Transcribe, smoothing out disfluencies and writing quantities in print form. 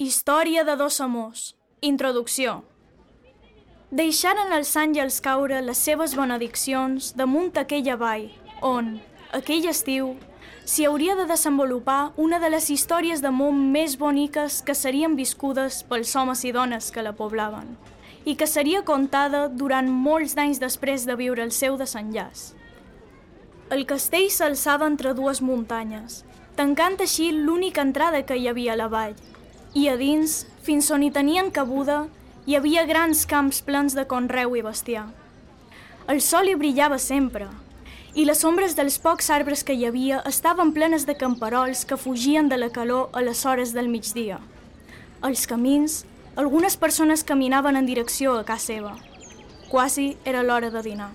Història de dos amors. Introducció. Deixaren els àngels caure les seves benediccions damunt aquella vall, on, aquell estiu, s'hi hauria de desenvolupar una de les històries d'amor més boniques que serien viscudes pels homes i dones que la poblaven, i que seria contada durant molts d'anys després de viure el seu desenllaç. El castell s'alçava entre dues muntanyes, tancant així l'única entrada que hi havia a la vall, i a dins, fins on hi tenien cabuda, hi havia grans camps plens de conreu i bestiar. El sol hi brillava sempre, i les ombres dels pocs arbres que hi havia estaven plenes de camperols que fugien de la calor a les hores del migdia. Als camins, algunes persones caminaven en direcció a casa seva. Quasi era l'hora de dinar.